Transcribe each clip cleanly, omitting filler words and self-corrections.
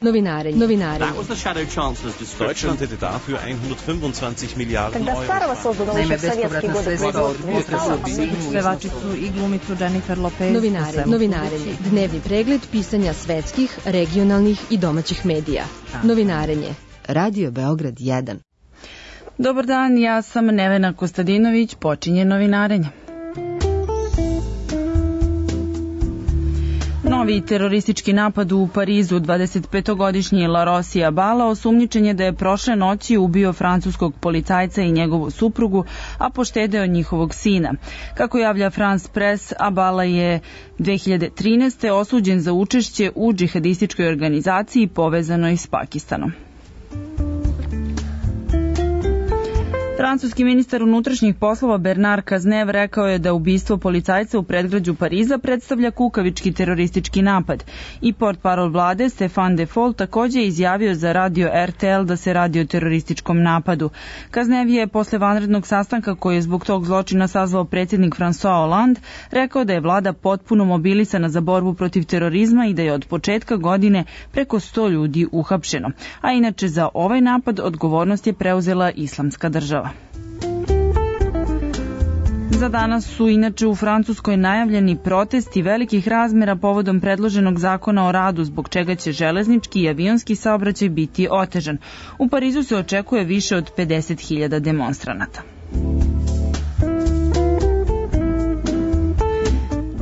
Novinarenje. That was the shadow chancellor's description. Deutschland hätte dafür 125 Milijarden Когда старого созданного еще в советские годы производства не стало, Pevačicu i glumicu Jennifer Lopez. Novinarenje. Dnevni pregled pisanja svetskih, regionalnih i domaćih medija. Novinarenje. Radio Beograd 1. Dobar dan, ja sam Nevena Kostadinović, počinje novinarenje. Novi teroristički napad u Parizu, 25-godišnji Larossi Abala osumnjičen je da je prošle noći ubio francuskog policajca i njegovu suprugu, a poštedeo njihovog sina. Kako javlja France Press, Abala je 2013. osuđen za učešće u džihadističkoj organizaciji povezanoj s Pakistanom. Francuski ministar unutrašnjih poslova Bernard Cazeneuve rekao je da ubistvo policajca u predgrađu Pariza predstavlja kukavički teroristički napad. I portparol vlade Stéphane Defol takođe je izjavio za radio RTL da se radi o terorističkom napadu. Cazeneuve je posle vanrednog sastanka koji je zbog tog zločina sazvao predsjednik François Hollande rekao da je vlada potpuno mobilisana za borbu protiv terorizma i da je od početka godine preko 100 ljudi uhapšeno. A inače za ovaj napad odgovornost je preuzela Islamska država. Za danas su inače u Francuskoj najavljeni protesti velikih razmera povodom predloženog zakona o radu, zbog čega će železnički i avionski saobraćaj biti otežan. U Parizu se očekuje više od 50.000 demonstranata.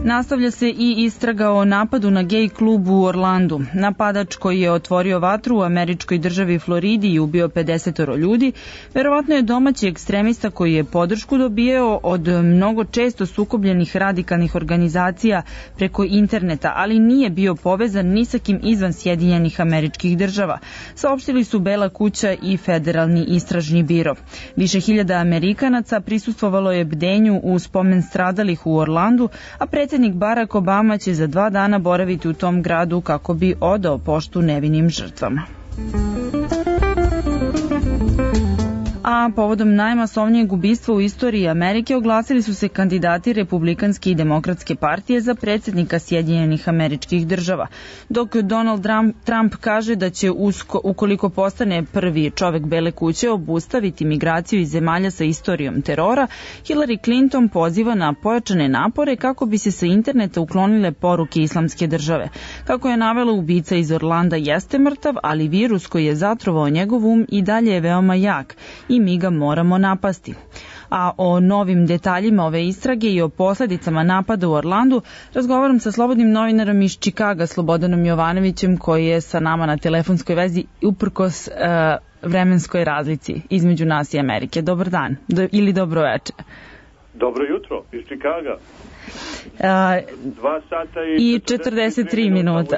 Nastavlja se i istraga o napadu na gej klub u Orlandu. Napadač koji je otvorio vatru u američkoj državi Floridi i ubio 50 ljudi, verovatno je domaći ekstremista koji je podršku dobijao od mnogo često sukobljenih radikalnih organizacija preko interneta, ali nije bio povezan ni sa kim izvan Sjedinjenih Američkih Država. Saopštili su Bela kuća i Federalni istražni biro. Više hiljada Amerikanaca prisustvovalo je bdenju u spomen stradalih u Orlandu, a predsjednik Barack Obama će za 2 dana boraviti u tom gradu kako bi odao poštu nevinim žrtvama. A povodom najmasovnijeg ubistva u istoriji Amerike oglasili su se kandidati Republikanske i Demokratske partije za predsjednika Sjedinjenih Američkih Država. Dok Donald Trump kaže da će ukoliko postane prvi čovek Bele kuće obustaviti migraciju iz zemalja sa istorijom terora, Hillary Clinton poziva na pojačane napore kako bi se sa interneta uklonile poruke Islamske države. Kako je navela, ubica iz Orlanda jeste mrtav, ali virus koji je zatrovao njegov i dalje je veoma jak i mi ga moramo napasti. A o novim detaljima ove istrage i o posledicama napada u Orlandu razgovaram sa slobodnim novinarom iz Čikaga, Slobodanom Jovanovićem, koji je sa nama na telefonskoj vezi uprkos vremenskoj razlici između nas i Amerike. Dobar dan ili dobro veče. Dobro jutro iz Čikaga. 2 sata i 43 minuta.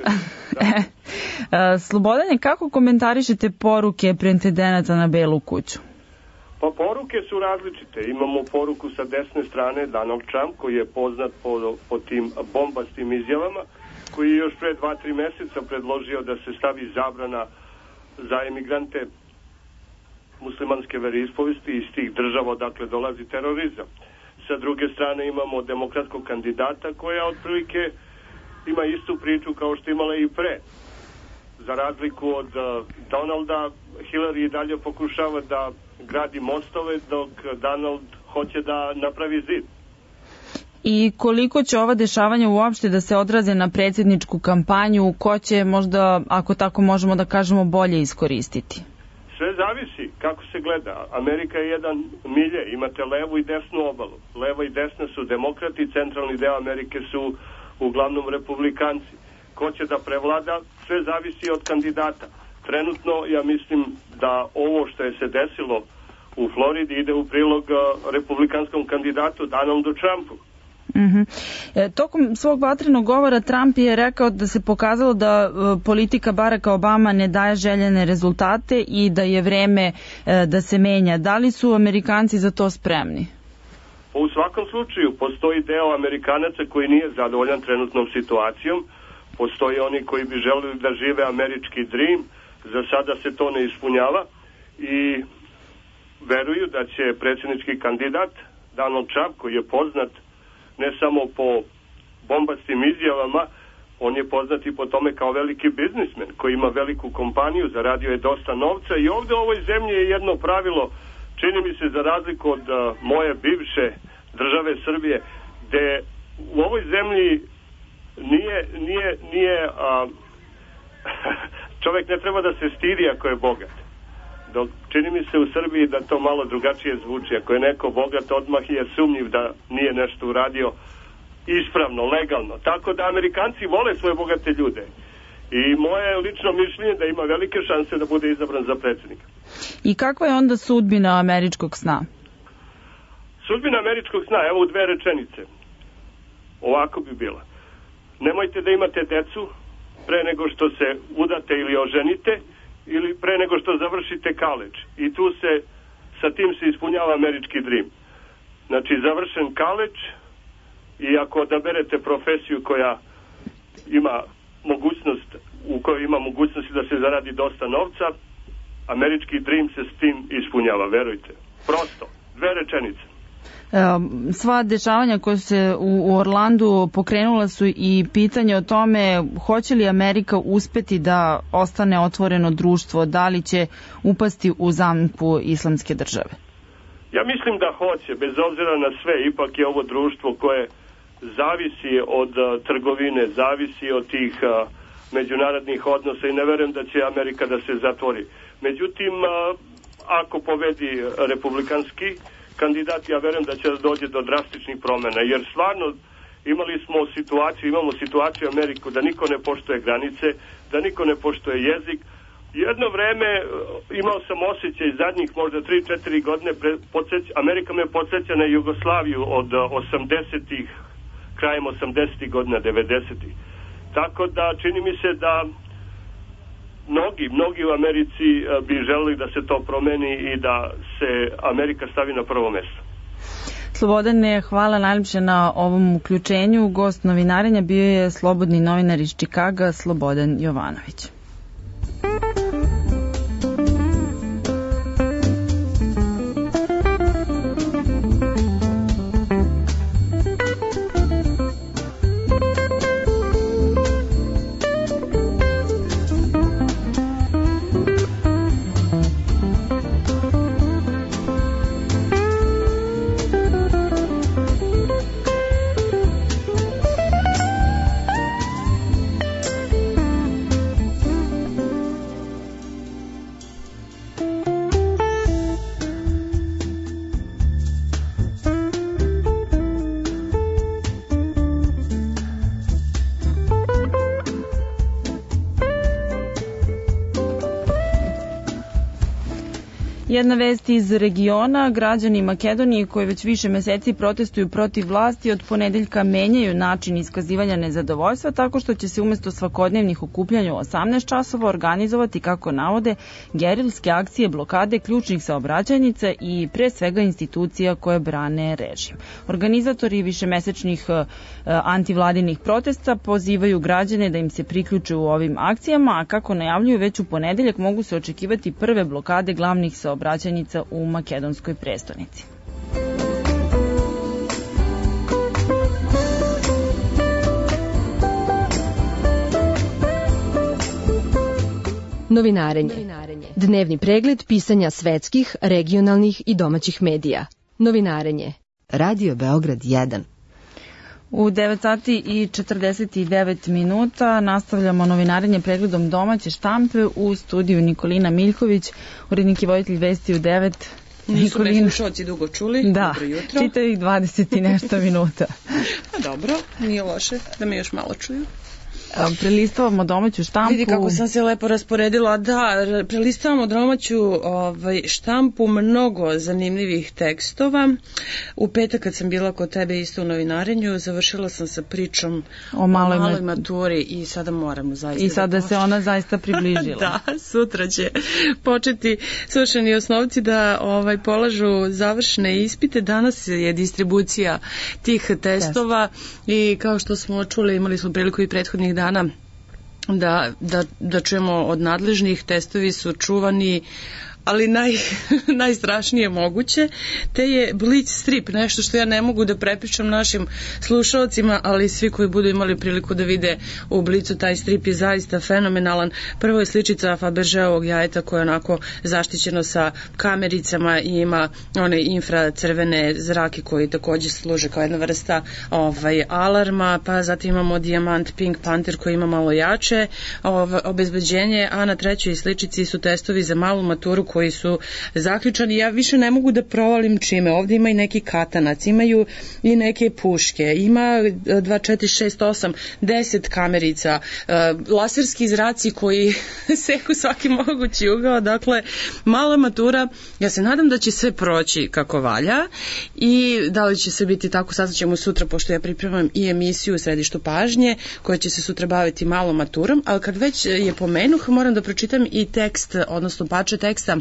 Slobodane, kako komentarišete poruke pretendenata na Belu kuću? Pa poruke su različite. Imamo poruku sa desne strane, Donald Trump, koji je poznat po tim bombastim izjavama, koji je još pre 2-3 meseca predložio da se stavi zabrana za emigrante muslimanske veroispovesti iz tih država odakle dolazi terorizam. Sa druge strane imamo demokratskog kandidata koja otprilike ima istu priču kao što imala i pre. Za razliku od Donalda, Hillary i dalje pokušava da gradi mostove, dok Donald hoće da napravi zid. I koliko će ova dešavanja uopšte da se odraze na predsjedničku kampanju, ko će možda, ako tako možemo da kažemo, bolje iskoristiti? Sve zavisi kako se gleda. Amerika je jedan milje, imate levu i desnu obalu. Leva i desna su demokrati, centralni deo Amerike su uglavnom republikanci. Ko će da prevlada, sve zavisi od kandidata. Trenutno ja mislim da ovo što je se desilo u Floridi ide u prilog republikanskom kandidatu Donaldu Trumpu. Tokom svog vatrenog govora Trump je rekao da se pokazalo da politika Baracka Obama ne daje željene rezultate i da je vreme da se menja. Da li su Amerikanci za to spremni? U svakom slučaju postoji deo Amerikanaca koji nije zadovoljan trenutnom situacijom. Postoji oni koji bi želeli da žive američki dream. Za sada se to ne ispunjava i veruju da će predsjednički kandidat Donald Trump, koji je poznat ne samo po bombastim izjavama, On je poznat i po tome kao veliki biznismen koji ima veliku kompaniju, zaradio je dosta novca i ovde u ovoj zemlji je jedno pravilo, čini mi se za razliku od moje bivše države Srbije, gde u ovoj zemlji nije čovjek ne treba da se stidi ako je bogat. Dok čini mi se u Srbiji da to malo drugačije zvuči. Ako je neko bogat, odmah je sumnjiv da nije nešto uradio ispravno, legalno. Tako da Amerikanci vole svoje bogate ljude. I moje lično mišljenje da ima velike šanse da bude izabran za predsjednika. I kakva je onda sudbina američkog sna? Sudbina američkog sna, evo u 2 rečenice. Ovako bi bila. Nemojte da imate decu pre nego što se udate ili oženite ili pre nego što završite kaleđ. I tu se, sa tim se ispunjava američki dream. Znači, završen kaleđ i ako odaberete profesiju koja ima mogućnost, u kojoj ima mogućnosti da se zaradi dosta novca, američki dream se s tim ispunjava, verujte. Prosto, 2 rečenice. Sva dešavanja koja se u Orlandu pokrenula su i pitanje o tome hoće li Amerika uspeti da ostane otvoreno društvo, da li će upasti u zamku islamske države? Ja mislim da hoće, bez obzira na sve. Ipak je ovo društvo koje zavisi od trgovine, zavisi od tih međunarodnih odnosa i ne verujem da će Amerika da se zatvori. Međutim, ako pobedi republikanski kandidat, ja verujem da će dođe do drastičnih promjena, jer stvarno imamo situaciju u Ameriku da niko ne poštuje granice, da niko ne poštuje jezik. Jedno vreme imao sam osjećaj zadnjih možda 3-4 godine, Amerika me podsjeća na Jugoslaviju od 80-ih, krajem 80-ih godina, 90-ih. Tako da čini mi se da mnogi u Americi bi želeli da se to promeni i da se Amerika stavi na prvo mesto. Slobodane, hvala najljepše na ovom uključenju. Gost novinarenja bio je slobodni novinar iz Čikaga, Slobodan Jovanović. Jedna vest iz regiona, građani Makedonije koji već više meseci protestuju protiv vlasti od ponedeljka menjaju način iskazivanja nezadovoljstva tako što će se umjesto svakodnevnih okupljanja u 18 časova organizovati, kako navode, gerilske akcije blokade ključnih saobraćajnica i pre svega institucija koje brane režim. Organizatori višemesečnih antivladinih protesta pozivaju građane da im se priključe u ovim akcijama, a kako najavljuju već u ponedeljak mogu se očekivati prve blokade glavnih saobraćajnica u makedonskoj prestonici. Novinarenje. Dnevni pregled pisanja svetskih, regionalnih i domaćih medija. Novinarenje. Radio Beograd 1. U 9 sati i 49 minuta nastavljamo novinarenje pregledom domaće štampe u studiju Nikolina Miljković, urednik i voditelj vesti u 9. Nisu me slušalci dugo čuli. Da, dobro jutro. čitavih 20 i nešto minuta. Dobro, nije loše da me još malo čuju. Prelistavamo domaću štampu. Vidi kako sam se lepo rasporedila. Da, prelistavamo domaću štampu, mnogo zanimljivih tekstova. U petak kad sam bila kod tebe isto u novinarenju, završila sam sa pričom o maloj maturi i sada moramo zaista. I sada se ona zaista približila. Da, sutra će početi svršeni osnovci da polažu završne ispite. Danas je distribucija tih testova i kao što smo čuli, imali smo priliku i prethodnih dana da čujemo od nadležnih, testovi su čuvani ali najstrašnije moguće, te je Blic strip, nešto što ja ne mogu da prepričam našim slušalcima, ali svi koji budu imali priliku da vide u Blicu, taj strip je zaista fenomenalan. Prvo je sličica Fabergeovog jajeta koje je onako zaštićeno sa kamericama i ima one infracrvene zrake koji takođe služe kao jedna vrsta alarma, pa zatim imamo dijamant Pink Panther koji ima malo jače obezbeđenje, a na trećoj sličici su testovi za malu maturu koji su zaključani. Ja više ne mogu da provalim čime. Ovdje ima i neki katanac, imaju i neke puške, ima 2, 4, 6, 8, 10 kamerica, laserski zraci koji seku svaki mogući ugao. Dakle, mala matura, ja se nadam da će sve proći kako valja i da li će se biti tako, saznaćemo sutra, pošto ja pripremam i emisiju u Središtu pažnje koja će se sutra baviti malom maturom, ali kad već je pomenuh, moram da pročitam i tekst, odnosno parče teksta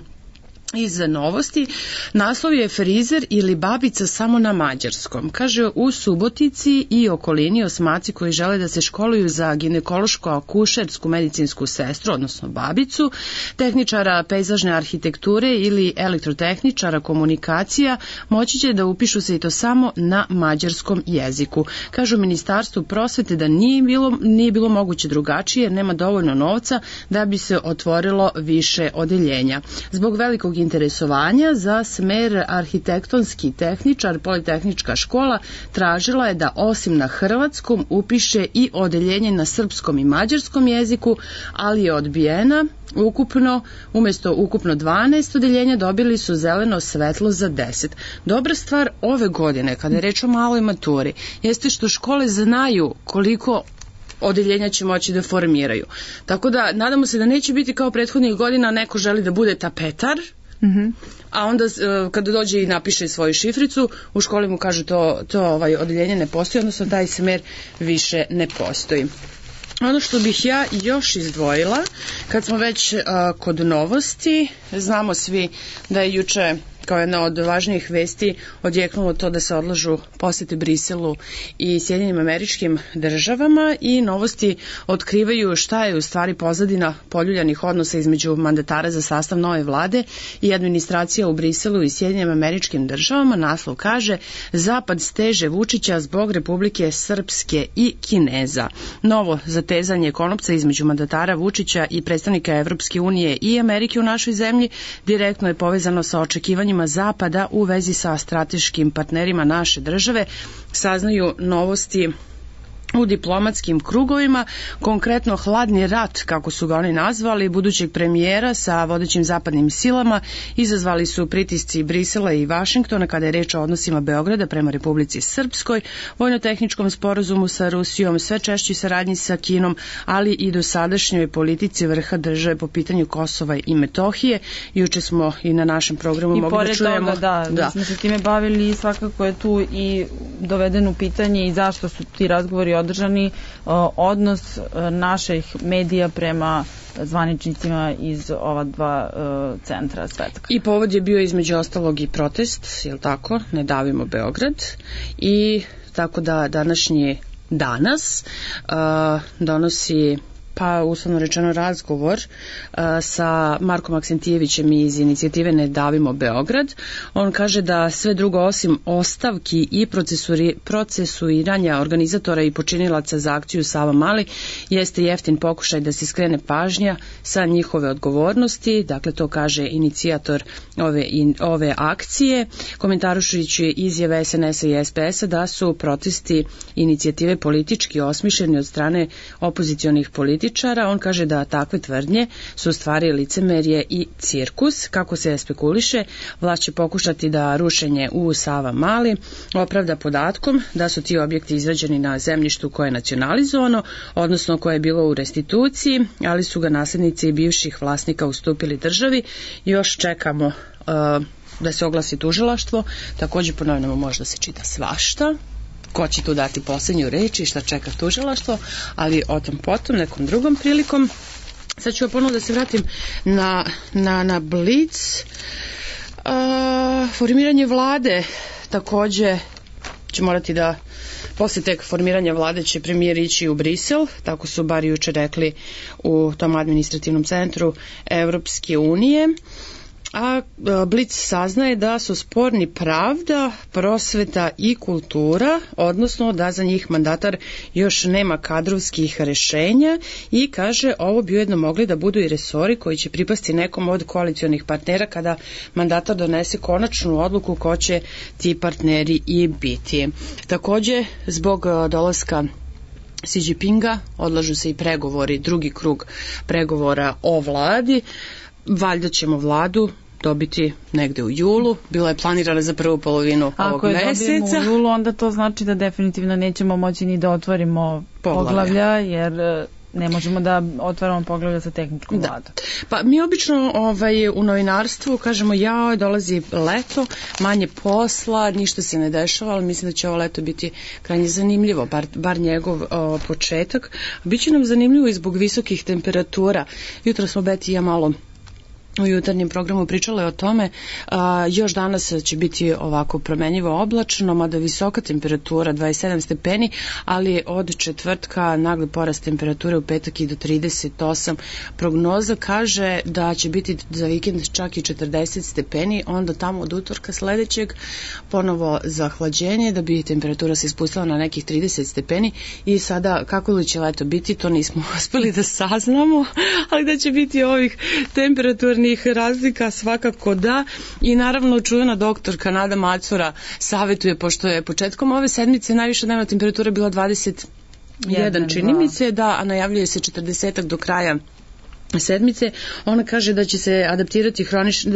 iz Novosti. Naslov je Frizer ili babica samo na mađarskom. Kaže, u Subotici i okolini osmaci koji žele da se školuju za ginekološko-akušersku medicinsku sestru, odnosno babicu, tehničara pejzažne arhitekture ili elektrotehničara komunikacija, moći će da upišu se i to samo na mađarskom jeziku. Kažu u Ministarstvu prosvete da nije bilo moguće drugačije jer nema dovoljno novca da bi se otvorilo više odeljenja. Zbog velikog interesovanja za smer arhitektonski tehničar, Politehnička škola tražila je da osim na hrvatskom upiše i odeljenje na srpskom i mađarskom jeziku, ali je odbijena. Umjesto ukupno 12 odeljenja dobili su zeleno svetlo za 10. Dobra stvar ove godine, kada je reč o maloj maturi, jeste što škole znaju koliko odeljenja će moći da formiraju. Tako da, nadamo se da neće biti kao prethodnih godina, neko želi da bude tapetar, a onda kada dođe i napiše svoju šifricu, u školi mu kažu to odeljenje ne postoji, odnosno taj smer više ne postoji. Ono što bih ja još izdvojila, kad smo već kod novosti, znamo svi da je juče kao jedna od važnijih vesti odjeknulo to da se odlažu posete Briselu i Sjedinjenim Američkim Državama i novosti otkrivaju šta je u stvari pozadina poljuljanih odnosa između mandatara za sastav nove vlade i administracija u Briselu i Sjedinjenim Američkim Državama. Naslov kaže: Zapad steže Vučića zbog Republike Srpske i Kineza. Novo zatezanje konopca između mandatara Vučića i predstavnika Evropske unije i Amerike u našoj zemlji direktno je povezano sa očekivanjima Zapada u vezi sa strateškim partnerima naše države, saznaju novosti u diplomatskim krugovima, konkretno hladni rat, kako su ga oni nazvali, budućeg premijera sa vodećim zapadnim silama izazvali su pritisci Brisela i Vašingtona kada je reč o odnosima Beograda prema Republici Srpskoj, vojno-tehničkom sporazumu sa Rusijom, sve češćoj saradnji sa Kinom, ali i dosadašnjoj politici vrha države po pitanju Kosova i Metohije. Juče smo i na našem programu mogli da čujemo. Da, smo se time bavili i svakako je tu i dovedeno pitanje i zašto su ti razgovori održani, odnos naših medija prema zvaničnicima iz ova dva centra svetska. I povod je bio između ostalog i protest, je li tako, Ne davimo Beograd, i tako da danas donosi uslovno rečeno razgovor sa Markom Aksentijevićem iz inicijative Ne davimo Beograd. On kaže da sve drugo osim ostavki i procesuiranja organizatora i počinilaca za akciju Savamali jeste jeftin pokušaj da se skrene pažnja sa njihove odgovornosti. Dakle, to kaže inicijator ove akcije, komentarujući izjave SNS-a i SPS-a da su protesti inicijative politički osmišljeni od strane opozicionih politika. On kaže da takve tvrdnje su stvari licemerje i cirkus. Kako se spekuliše, vlast će pokušati da rušenje u Savamali opravda podatkom da su ti objekti izrađeni na zemljištu koje je nacionalizovano, odnosno koje je bilo u restituciji, ali su ga naslednici bivših vlasnika ustupili državi. Još čekamo da se oglasi tužilaštvo. Također ponovno možda se čita svašta. Ko će tu dati posljednju reč i šta čeka tužilaštvo, ali o tom potom, nekom drugom prilikom. Sad ću ponovno da se vratim na Blic. Formiranje vlade također će morati da, posle tek formiranja vlade će premijer ići u Brisel, tako su bar juče rekli u tom administrativnom centru Evropske unije. A Blic saznaje da su sporni pravda, prosveta i kultura, odnosno da za njih mandatar još nema kadrovskih rešenja i kaže ovo bi ujedno mogli da budu i resori koji će pripasti nekom od koalicionih partnera kada mandatar donese konačnu odluku ko će ti partneri i biti. Takođe, zbog dolaska Xi Jinpinga odlažu se i pregovori, drugi krug pregovora o vladi. Valjda ćemo vladu dobiti negde u julu. Bila je planirana za prvu polovinu ovog meseca. Ako je dobijemo u julu, onda to znači da definitivno nećemo moći ni da otvorimo poglavlja, jer ne možemo da otvaramo poglavlja sa tehničkom vladom. Pa mi obično u novinarstvu kažemo dolazi leto, manje posla, ništa se ne dešava, ali mislim da će ovo leto biti krajnje zanimljivo, bar njegov početak. Biće nam zanimljivo i zbog visokih temperatura. Jutro smo Beti i ja malo u jutarnjem programu pričale o tome, još danas će biti ovako promenjivo oblačno, mada visoka temperatura 27 stepeni, ali od četvrtka nagli porast temperature u petak i do 38. Prognoza kaže da će biti za vikend čak i 40 stepeni, onda tamo od utorka sledećeg ponovo zahlađenje da bi temperatura se ispustila na nekih 30 stepeni i sada kako li će leto biti, to nismo uspeli da saznamo, ali da će biti ovih temperaturnih razlika svakako da i naravno čuvena doktorka Nada Macura savjetuje, pošto je početkom ove sedmice najviša dnevna temperatura bila 21 čini mi se, a najavljuje se 40 do kraja sedmice. Ona kaže da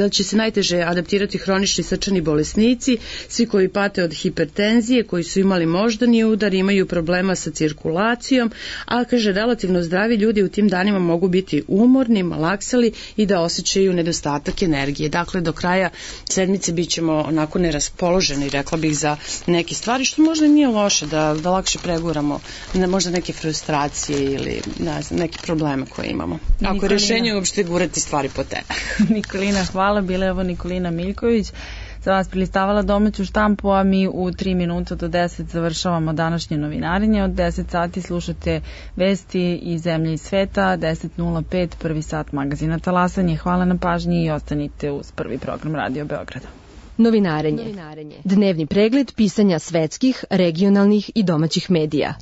će se najteže adaptirati hronični srčani bolesnici, svi koji pate od hipertenzije, koji su imali moždani udar, imaju problema sa cirkulacijom, a kaže relativno zdravi ljudi u tim danima mogu biti umorni, malaksali i da osjećaju nedostatak energije. Dakle, do kraja sedmice bit ćemo onako neraspoloženi, rekla bih, za neke stvari, što možda nije loše, da lakše preguramo možda neke frustracije ili neke probleme koje imamo. Ako je rešenje uopšte gurati stvari po tebe. Nikolina, hvala. Bila je ovo Nikolina Miljković. Za vas prilistavala domaću štampu, a mi u 3 minuta do 10 završavamo današnje novinarenje. Od 10 sati slušate vesti iz zemlje i sveta, 10.05 prvi sat magazina Talasanje. Hvala na pažnji i ostanite uz prvi program Radio Beograda. Novinarenje. Dnevni pregled pisanja svetskih, regionalnih i domaćih medija.